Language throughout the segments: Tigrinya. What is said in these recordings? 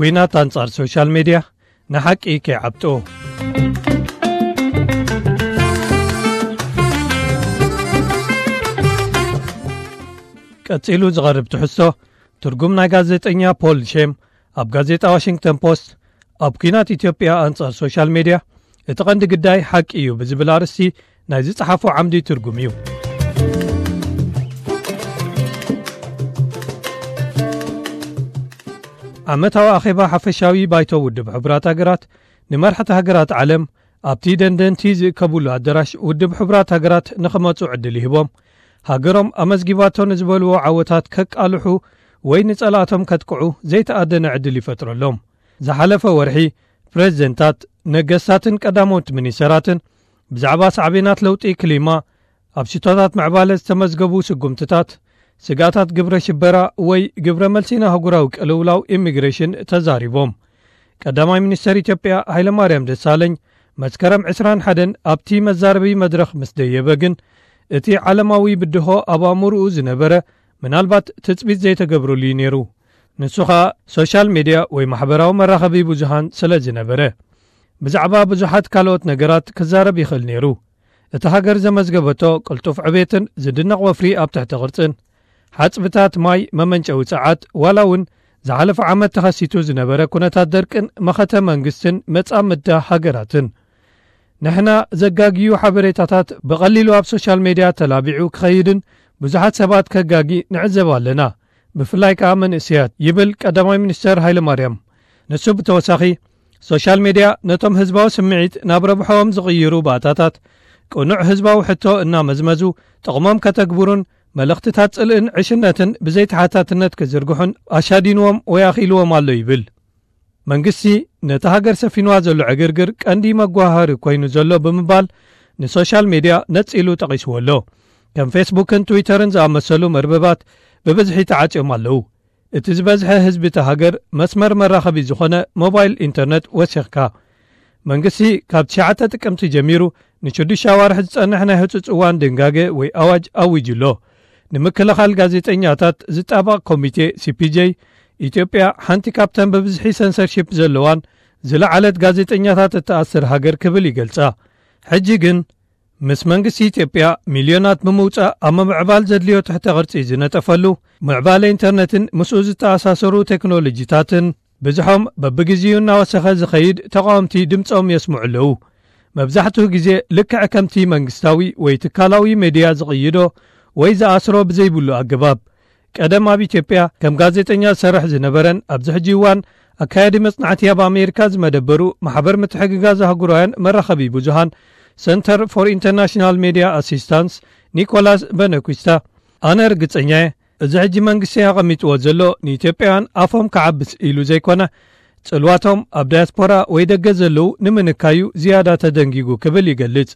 ኲናት ኣንጻር ሶሻል ሜድያ ንሓቂ ከይዓብጦ። ቀጺሉ ዝቐርብ ትሕዝቶ፣ ትርጉም ናይ ጋዜጠኛ ፖል ሼም ኣብ ጋዜጣ ዋሽንግተን ፖስት፣ ኣብ ኲናት ኢትዮጵያ ኣንጻር ሶሻል ሜድያ፣ እቲ ቀንዲ ግዳይ ሓቂ እዩ ብዝብል ኣርእስቲ ናይ ዝጸሓፎ ዓምዲ ትርጉም እዩ። ዓመታዊ ኣኼባ ሓፈሻዊ ባይቶ ውድብ ሕቡራት ሃገራት ንመራሕቲ ሃገራት ዓለም ኣብቲ ደንደንቲ ዝእከቡሉ ኣዳራሽ ውድብ ሕቡራት ሃገራት ንኽመጹ ዕድል ይህቦም። ሃገሮም ኣመዝጊባቶ ንዝበልዎ ዓወታት ከቃልሑ ወይ ንጸላእቶም ከጥቅዑ ዘይተኣደነ ዕድል ይፈጥረሎም። ዝሓለፈ ወርሒ ፕሬዝደንታት፣ ነገስታትን ቀዳሞት ሚኒስተራትን ብዛዕባ ሳዕቤናት ለውጢ ክሊማ፣ ኣብ ሽቶታት ምዕባለ ዝተመዝገቡ ስጉምትታት፣ ስግኣታት ግብረ ሽበራ ወይ ግብረ መልሲ ንኣህጉራዊ ቅልውላው ኢሚግሬሽን ተዛሪቦም። ቀዳማይ ሚኒስተር ኢትዮጵያ ሃይለማርያም ደሳለኝ መስከረም ዕስራን ሓደን ኣብቲ መዛረቢ መድረኽ ምስ ደየበ ግን፣ እቲ ዓለማዊ ብድሆ ኣብ ኣእምሮኡ ዝነበረ ምናልባት ትጽቢት ዘይተገብረሉ እዩ ነይሩ። ንሱ ኸኣ ሶሻል ሜድያ ወይ ማሕበራዊ መራኸቢ ብዙሃን ስለ ዝነበረ፣ ብዛዕባ ብዙሓት ካልኦት ነገራት ክዛረብ ይኽእል ነይሩ። እታ ሃገር ዘመዝገበቶ ቅልጡፍ ዕቤትን ዝድነቕ ወፍሪ ኣብ ትሕቲ ቅርጽን፣ ሓጽብታት ማይ መመንጨዊ ጸዓት፣ ዋላ እውን ዝሓለፈ ዓመት ተኸሲቱ ዝነበረ ኩነታት ደርቅን መኸተ መንግስትን መጻምድታ ሃገራትን። ንሕና ዘጋግዩ ሓበሬታታት ብቐሊሉ ኣብ ሶሻል ሜድያ ተላቢዑ ክኸይድን ብዙሓት ሰባት ከጋጊ ንዕዘብ ኣለና፣ ብፍላይ ከኣ መንእሰያት፣ ይብል ቀዳማይ ሚኒስተር ሃይለማርያም። ንሱ ብተወሳኺ፣ ሶሻል ሜድያ ነቶም ህዝባዊ ስምዒት ናብ ረብሖኦም ዝቕይሩ ባእታታት፣ ቅኑዕ ህዝባዊ ሕቶ እናመዝመዙ ጥቕሞም ከተግብሩን መልእኽትታት ጽልእን ዕሽነትን ብዘይተሓታትነት ክዝርግሑን ኣሻዲንዎም ወይ ኣኽኢልዎም ኣሎ ይብል። መንግስቲ ነታ ሃገር ሰፊንዋ ዘሎ ዕግርግር ቀንዲ መጓሃሪ ኮይኑ ዘሎ ብምባል ንሶሻል ሜድያ ነጺሉ ጠቒስዎ ኣሎ። ከም ፌስቡክን ትዊተርን ዝኣመሰሉ መርበባት ብብዝሒ ተዓጽዮም ኣለዉ። እቲ ዝበዝሐ ህዝቢ እታ ሃገር መስመር መራኸቢ ዝኾነ ሞባይል ኢንተርነት ወሲኽካ። መንግስቲ ካብ ትሽዓተ ጥቅምቲ ጀሚሩ ንሽዱሽተ ኣዋርሕ ዝጸንሕ ናይ ህጹጽ እዋን ድንጋገ ወይ ኣዋጅ ኣዊጁ ኣሎ። ንምክልኻል ጋዜጠኛታት ዝጣበቕ ኮሚቴ፣ ሲ ፒ ጄ፣ ኢትዮጵያ ሓንቲ ካብተን ብብዝሒ ሰንሰርሺፕ ዘለዋን ዝለዓለት ጋዜጠኛታት እትኣስር ሃገር ክብል ይገልጻ። ሕጂ ግን ምስ መንግስቲ ኢትዮጵያ ሚልዮናት ብምውጻእ ኣብ ምምዕባል ዘድልዮ ትሕተ ቅርጺ ዝነጠፈሉ፣ ምዕባለ ኢንተርነትን ምስኡ ዝተኣሳሰሩ ቴክኖሎጂታትን ብዝሖም በብግዜኡ እናወሰኸ ዝኸይድ ተቓወምቲ ድምጾም የስምዑ ኣለዉ። መብዛሕትኡ ግዜ ልክዕ ከምቲ መንግስታዊ ወይ ትካላዊ ሜድያ ዝቕይዶ ወይ ዝኣስሮ ብዘይብሉ ኣገባብ። ቀደም ኣብ ኢትዮጵያ ከም ጋዜጠኛ ዝሰርሕ ዝነበረን ኣብዚ ሕጂ እዋን ኣካያዲ መጽናዕቲ ኣብ ኣሜሪካ ዝመደበሩ ማሕበር ምትሕግጋዝ ኣህጉራውያን መራኸቢ ብዙሃን፣ ሰንተር ፎር ኢንተርናሽናል ሜድያ ኣሲስታንስ፣ ኒኮላስ በነኩስታ፣ ኣነ ርግጸኛ እየ፣ እዚ ሕጂ መንግስቲ ኣቐሚጥዎ ዘሎ ንኢትዮጵያውያን ኣፎም ክዓብስ ኢሉ ዘይኮነ፣ ጽልዋቶም ኣብ ዳያስፖራ ወይ ደገ ዘለዉ ንምንካዩ ዝያዳ ተደንጊጉ ክብል ይገልጽ።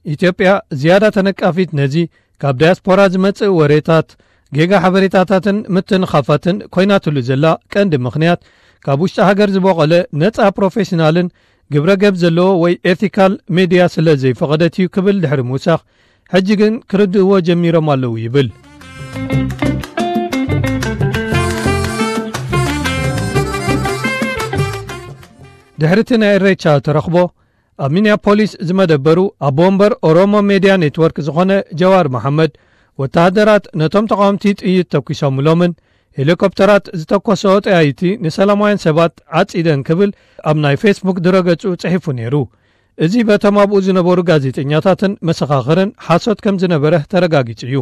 ኢትዮጵያ ዝያዳ ተነቃፊት ነዚ ካብ ዳያስፖራ ዝመጽእ ወሬታት፣ ጌጋ ሓበሬታታትን ምትንኻፋትን ኮይናትሉ ዘላ ቀንዲ ምኽንያት፣ ካብ ውሽጢ ሃገር ዝበቖለ ነጻ ፕሮፌሽናልን ግብረ ገብ ዘለዎ ወይ ኤቲካል ሜድያ ስለ ዘይፈቐደት እዩ ክብል ድሕሪ ምውሳኽ፣ ሕጂ ግን ክርድእዎ ጀሚሮም ኣለዉ ይብል። ድሕሪ እቲ ናይ ኢሬቻ ተረኽቦ፣ ኣብ ሚኒያፖሊስ ዝመደበሩ ኣቦ ወንበር ኦሮሞ ሜድያ ኔትወርክ ዝኾነ ጀዋር መሓመድ፣ ወተሃደራት ነቶም ተቓወምቲ ጥይት ተኩሶምሎምን ሄሊኮፕተራት ዝተኮሰኦ ጠያይቲ ንሰላማውያን ሰባት ዓጺደን ክብል ኣብ ናይ ፌስቡክ ድረገጹ ጽሒፉ ነይሩ። እዚ በቶም ኣብኡ ዝነበሩ ጋዜጠኛታትን መሰኻኽርን ሓሶት ከም ዝነበረ ተረጋጊጹ እዩ።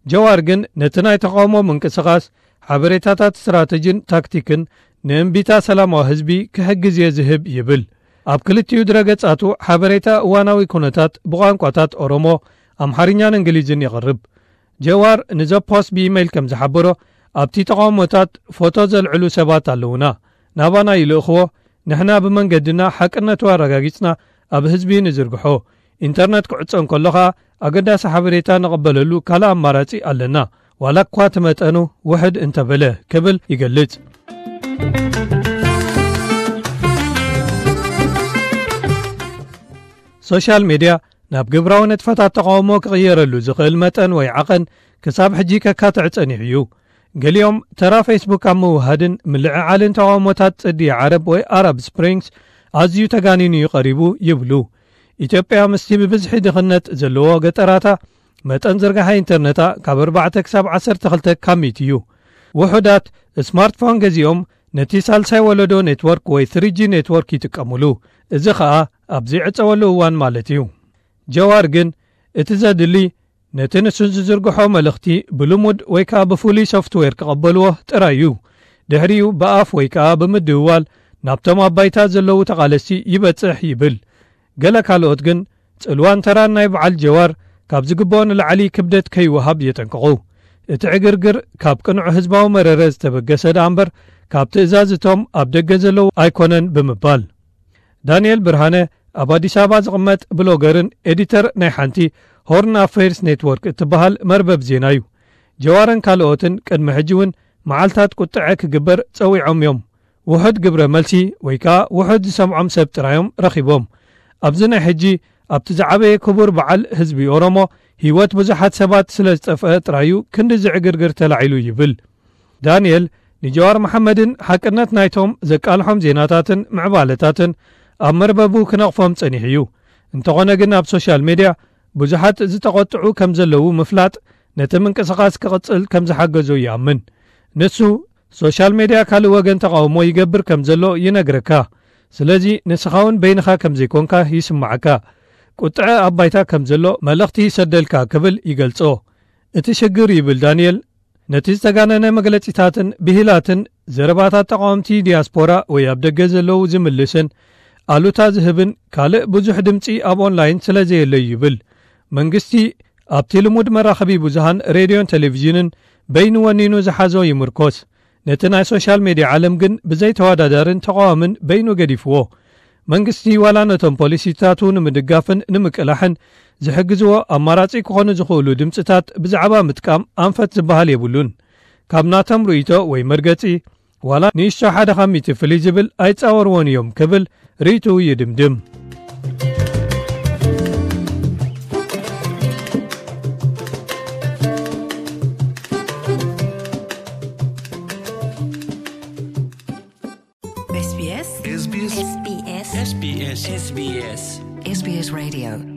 ጀዋር ግን ነቲ ናይ ተቓውሞ ምንቅስቓስ ሓበሬታታት ስትራተጂን ታክቲክን ንእምቢታ ሰላማዊ ህዝቢ ክሕግዝ እየ ዝህብ ይብል። ኣብ ክልቲኡ ድረገጻቱ ሓበሬታ እዋናዊ ኩነታት ብቋንቋታት ኦሮሞ፣ ኣምሓርኛን እንግሊዝን የቕርብ። ጀዋር ንዘ ፖስት ብኢመይል ከም ዝሓበሮ፣ ኣብቲ ተቓውሞታት ፎቶ ዘልዕሉ ሰባት ኣለዉና። ናባና ይልእኽዎ፣ ንሕና ብመንገድና ሓቅነቱ ኣረጋጊጽና ኣብ ህዝቢ ንዝርግሖ። ኢንተርነት ክዕጾ እንከሎ ኸኣ ኣገዳሲ ሓበሬታ ንቕበለሉ ካልእ ኣማራጺ ኣለና፣ ዋላ እኳ እቲ መጠኑ ውሕድ እንተበለ፣ ክብል ይገልጽ። ሶሻል ሜድያ ናብ ግብራዊ ንጥፈታት ተቓውሞ ክቕየረሉ ዝኽእል መጠን ወይ ዓቐን ክሳብ ሕጂ ከካትዕ ጸኒሑ እዩ። ገሊኦም ተራ ፌስቡክ ኣብ ምውሃድን ምልዕዓልን ተቓውሞታት ጽዲ ዓረብ ወይ ኣረብ ስፕሪንግስ ኣዝዩ ተጋኒኑ እዩ ቀሪቡ ይብሉ። ኢትዮጵያ ምስቲ ብብዝሒ ድኽነት ዘለዎ ገጠራታ መጠን ዝርጋሐ ኢንተርነታ ካብ ኣርባዕተ ክሳብ ዓሰርተ ክልተ ካብ ሚእቲ እዩ። ውሑዳት ስማርትፎን ገዚኦም ነቲ ሳልሳይ ወለዶ ኔትወርክ ወይ ትሪ ጂ ኔትወርክ ይጥቀሙሉ። እዚ ኸኣ ኣብ ዘይዕጸወሉ እዋን ማለት እዩ። ጀዋር ግን እቲ ዘድሊ ነቲ ንሱ ዝዝርግሖ መልእኽቲ ብልሙድ ወይ ከኣ ብፍሉይ ሶፍትዌር ክቐበልዎ ጥራይ እዩ። ድሕሪኡ ብኣፍ ወይ ከኣ ብምድውዋል ናብቶም ኣብ ባይታ ዘለዉ ተቓለስቲ ይበጽሕ ይብል። ገለ ካልኦት ግን ጽልዋን ተራን ናይ በዓል ጀዋር ካብ ዝግብኦ ንላዕሊ ክብደት ከይወሃብ የጠንቅቑ። እቲ ዕግርግር ካብ ቅኑዕ ህዝባዊ መረረ ዝተበገሰ ደኣ እምበር ካብ ትእዛዝ እቶም ኣብ ደገ ዘለዉ ኣይኮነን ብምባል። ዳንኤል ብርሃነ ኣብ ኣዲስ ኣበባ ዝቕመጥ ብሎገርን ኤዲተር ናይ ሓንቲ ሆርን ኣፌርስ ኔትወርክ እትበሃል መርበብ ዜና እዩ። ጀዋርን ካልኦትን ቅድሚ ሕጂ እውን መዓልታት ቁጥዐ ክግበር ጸዊዖም እዮም። ውሑድ ግብረ መልሲ ወይ ከኣ ውሑድ ዝሰምዖም ሰብ ጥራዮም ረኺቦም። ኣብዚ ናይ ሕጂ ኣብቲ ዝዓበየ ክቡር በዓል ህዝቢ ኦሮሞ ህይወት ብዙሓት ሰባት ስለ ዝጠፍአ ጥራዩ ክንዲ ዝዕግርግር ተላዒሉ ይብል። ዳንኤል ንጀዋር መሓመድን ሓቅነት ናይቶም ዘቃልሖም ዜናታትን ምዕባለታትን ኣብ መርበቡ ክነቕፎም ጸኒሑ እዩ። እንተኾነ ግን ኣብ ሶሻል ሜድያ ብዙሓት ዝተቖጥዑ ከም ዘለዉ ምፍላጥ ነቲ ምንቅስቓስ ክቕጽል ከም ዝሓገዞ ይኣምን። ንሱ ሶሻል ሜድያ ካልእ ወገን ተቓውሞ ይገብር ከም ዘሎ ይነግረካ። ስለዚ ንስኻ እውን በይንኻ ከም ዘይኮንካ ይስምዓካ። ቁጥዐ ኣብ ባይታ ከም ዘሎ መልእኽቲ ይሰደልካ ክብል ይገልጾ። እቲ ሽግር ይብል ዳንኤል ነቲ ዝተጋነነ መግለጺታትን ብሂላትን ዘረባታት ተቓወምቲ ዲያስፖራ ወይ ኣብ ደገ ዘለዉ ዝምልስን ኣሉታ ዝህብን ካልእ ብዙሕ ድምጺ ኣብ ኦንላይን ስለ ዘየለዩ ይብል። መንግስቲ ኣብቲ ልሙድ መራኸቢ ብዙሃን ሬድዮን ቴሌቪዥንን በይኑ ወኒኑ ዝሓዞ ይምርኮስ። ነቲ ናይ ሶሻል ሜድያ ዓለም ግን ብዘይተወዳዳርን ተቓዋምን በይኑ ገዲፍዎ። መንግስቲ ዋላ ነቶም ፖሊሲታቱ ንምድጋፍን ንምቅላሕን ዝሕግዝዎ ኣማራጺ ክኾኑ ዝኽእሉ ድምጽታት ብዛዕባ ምጥቃም ኣንፈት ዝበሃል የብሉን። ካብ ናቶም ርእይቶ ወይ መርገጺ ዋላ ንእሽቶ ሓደ ካብ ሚእቲ ፍልይ ዝብል ኣይጻወርዎን እዮም ክብል ርእይትኡ ይድምድም። SBS SBS SBS SBS SBS SBS Radio